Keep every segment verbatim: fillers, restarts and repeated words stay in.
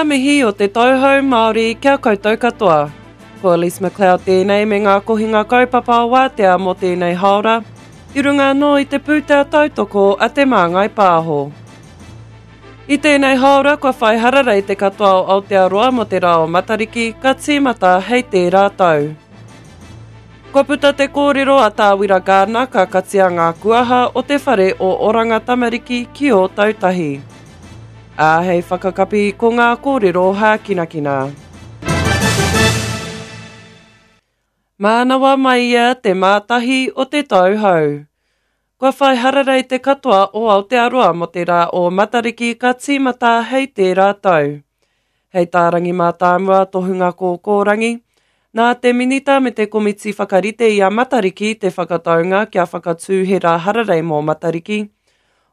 Ngā mihi o te Tauhou Māori kia koutou katoa. Ko Elise McLeod tēnei me ngā kohinga kaupapa o wātea mō tēnei haora, i runga anō i te pūtea tautoko a Te Māngai Pāho. I tēnei haora kua whai hararei te katoa o Aotearoa mō te rā o Matariki ka tīmata hei tērā tau. Kua puta te kōrero a Tā Wira Gardiner ka katia ngā kuaha o te whare o Oranga Tamariki ki Ōtautahi. Ā, hei whakakapi ko ngā kōrero hākinakina. Mānawa mai ia te mātahi o te tauhou. Kua whai hararei te katoa o Aotearoa mō te rā o Matariki ka tīmata hei tērā tau. Hei tā Rangi Mātāmua tohunga kōkōrangi, nā te minita me te komiti whakarite i a Matariki te whakataunga kia whakatū he rā hararei mō Matariki.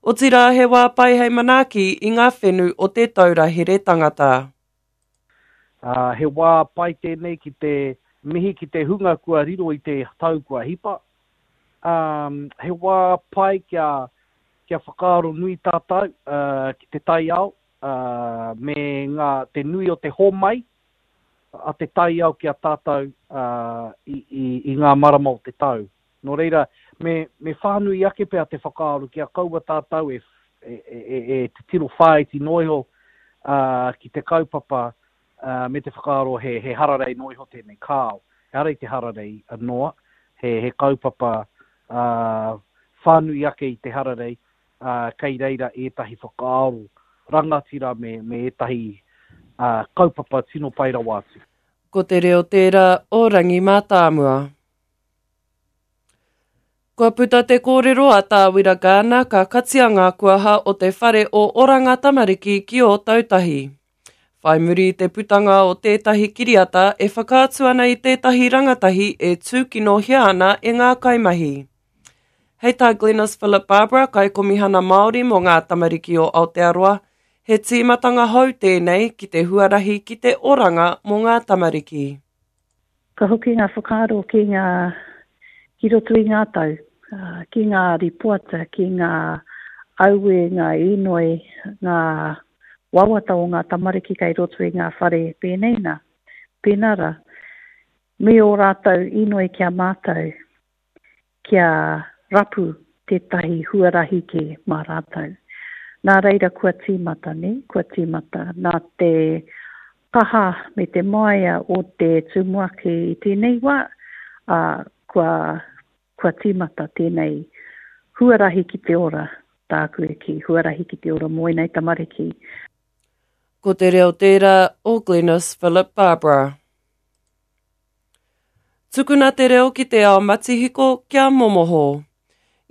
Otirā he wā pai hei manaaki i ngā whenu o te taura here tangata. Uh, he wā pai tēnei ki te mihi ki te hunga kua riro i te tau kua hipa. Um, he wā pai kia, kia whakaaro nui tātou uh, ki te taiao uh, me ngā, te nui o te homai a te taiao ki a tātou uh, i, i, i ngā marama o te tau. Nō reira, me, me whānui ake pea te whakaaro kia kaua tātou e, e, e, e, e te tiro whāiti noa iho uh, ki te kaupapa uh, me te whakaaro he, he hararei noa iho tēnei kāo. Ehara i te hararei noa, he, he kaupapa uh, whānui ake i te hararei, uh, kei reira ētahi whakaaro rangatira me, me ētahi uh, kaupapa tino pai rawa atu. Ko te reo tērā o Rangi Mātāmua. Kua puta te kōrero a Tā Wira Gardiner ka katia ngā kuaha o te whare o Oranga Tamariki ki Ōtautahi. Whai muri i te putanga o tētahi kiriata e whakaatu ana i tētahi rangatahi e tūkinohia ana e ngā kaimahi. Hei tā Glenis Philip Barbara, kaikomihana Māori mō ngā tamariki o Aotearoa, he tīmatanga hou tēnei ki te huarahi ki te oranga mō ngā tamariki. Ka hoki ngā whakaaro ki ngā ki roto i ngā tau, uh, ki ngā ripoata, ki ngā aue, ngā inoi, ngā wawata o ngā tamariki kei roto i ngā whare pēnei nā, pēnā rā. Me ō rātou inoi ki a mātou, kia rapu tētahi huarahi kē mā rātou. Nā reira kua tīmata, ne? Kua tīmata. Nā te kaha me te māia o te tumuaki i tēnei wā, uh, kua, kua tīmata tēnei huarahi ki te ora, tāku e kī, huarahi ki te ora mō ēnei tamariki. Ko te reo tērā o Glenis Philip Barbara. Tukuna te reo ki te ao matihiko kia momoho.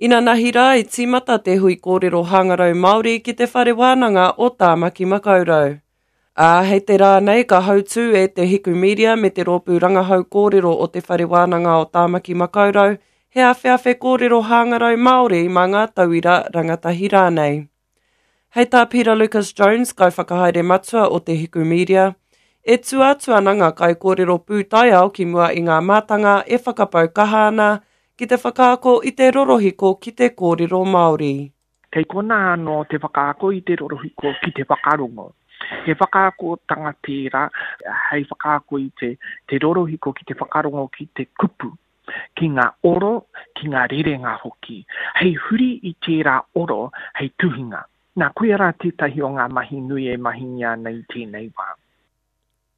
Inanahi rā i tīmata te hui kōrero hangarau Māori ki te whare wānanga o Tāmaki Makaurau. Ā, hei te rā nei ka hautū e te Hiku Media me te rōpū rangahau kōrero o te whare wānanga o Tāmaki Makaurau, he awheawhe kōrero hangarau Māori mā ngā tauira rangatahi rānei. Hei tā Peter Lucas Jones, kaiwhakahaere matua o te Hiku Media, e tua atu ana ngā kaikōrero pūtaiao ki mua i ngā mātanga e whakapau kaha ana ki te whakaako i te rorohiko ki te kōrero Māori. Kei kona anō te whakaako i te rorohiko ki te whakarongo. He whakaakotanga tērā hei whakaako i te, te rorohiko ki te whakarongo ki te kupu, ki ngā oro, ki ngā rerenga hoki. Hei huri i tērā oro hei tuhinga. Nā, koia rā tētahi o ngā mahi nui e mahingia ana i tēnei wā.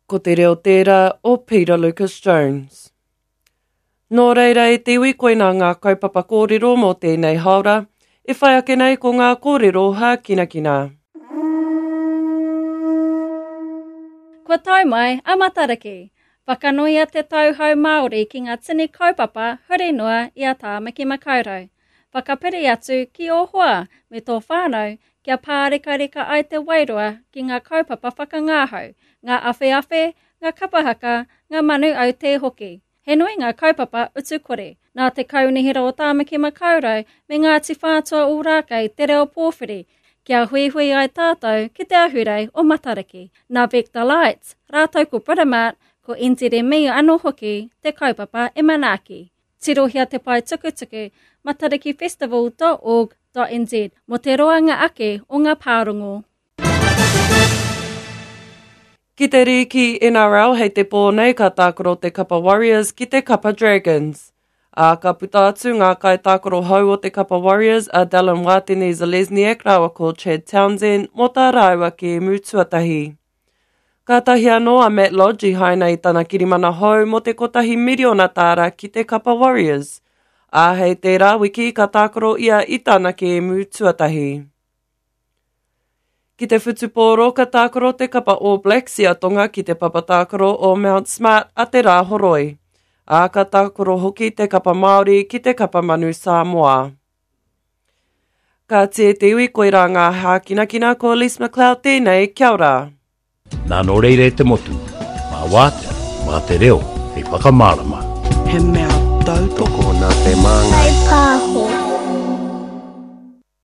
Ko te reo tērā o Peter Lucas Jones. Nō reira e te iwi koina ngā kaupapa kōrero mō tēnei haora, e whai ake nei ko ngā kōrero hākinakina. Kua tau mai a Matariki. Whakanuia te tauhou Māori ki ngā tini kaupapa huri noa i a Tāmaki Makaurau. Whakapiri atu ki ō hoa me tō whānau kia pārekareka ai te wairua ki ngā kaupapa whakangahau, ngā awheawhe, ngā kapahaka, ngā manu aute hoki. He nui ngā kaupapa utu kore. Nā te Kaunihera o Tāmaki Makaurau me Ngāti Whātua Ōrākei te reo pōwhiri, kia huihui ai tātou ki te ahurei o Matariki. Nā Vector Lights, rātou ko Britomart, ko N Z M E anō hoki te kaupapa e manaaki. Tirohia te pae tukutuku matariki festival dot org dot n z mō te roanga ake o ngā pārongo. Ki te rīki N R L hei te pō nei ka tākaro te kapa Warriors ki te kapa Dragons. Ā, ka puta atu ngā kaitākaro hou o te kapa Warriors a Dallin Watene-Zelezniak rāua ko Chad Townsend mō tā rāua kēmu tuatahi. Kātahi anō a Matt Lodge i haina i tana kirimana hou mō te kotahi miriona tāra ki te kapa Warriors. Ā, hei tērā wiki ka tākaro ia i tana kēmu tuatahi. Ki te whutupōro ka tākaro te kapa All Blacks i a Tonga ki te papa tākaro o Mount Smart a te Rāhoroi. Ā, ka tākaro hoki te kapa Māori ki te kapa Manu Samoa. Ka tia te iwi, koirā ngā hākinakina. Ko Elise McLeod tēnei, kia ora. Nā nō reira e te motu, mā wātea, mā te reo, hei whakamārama. He mea tautoko nā te māngai. Pāho.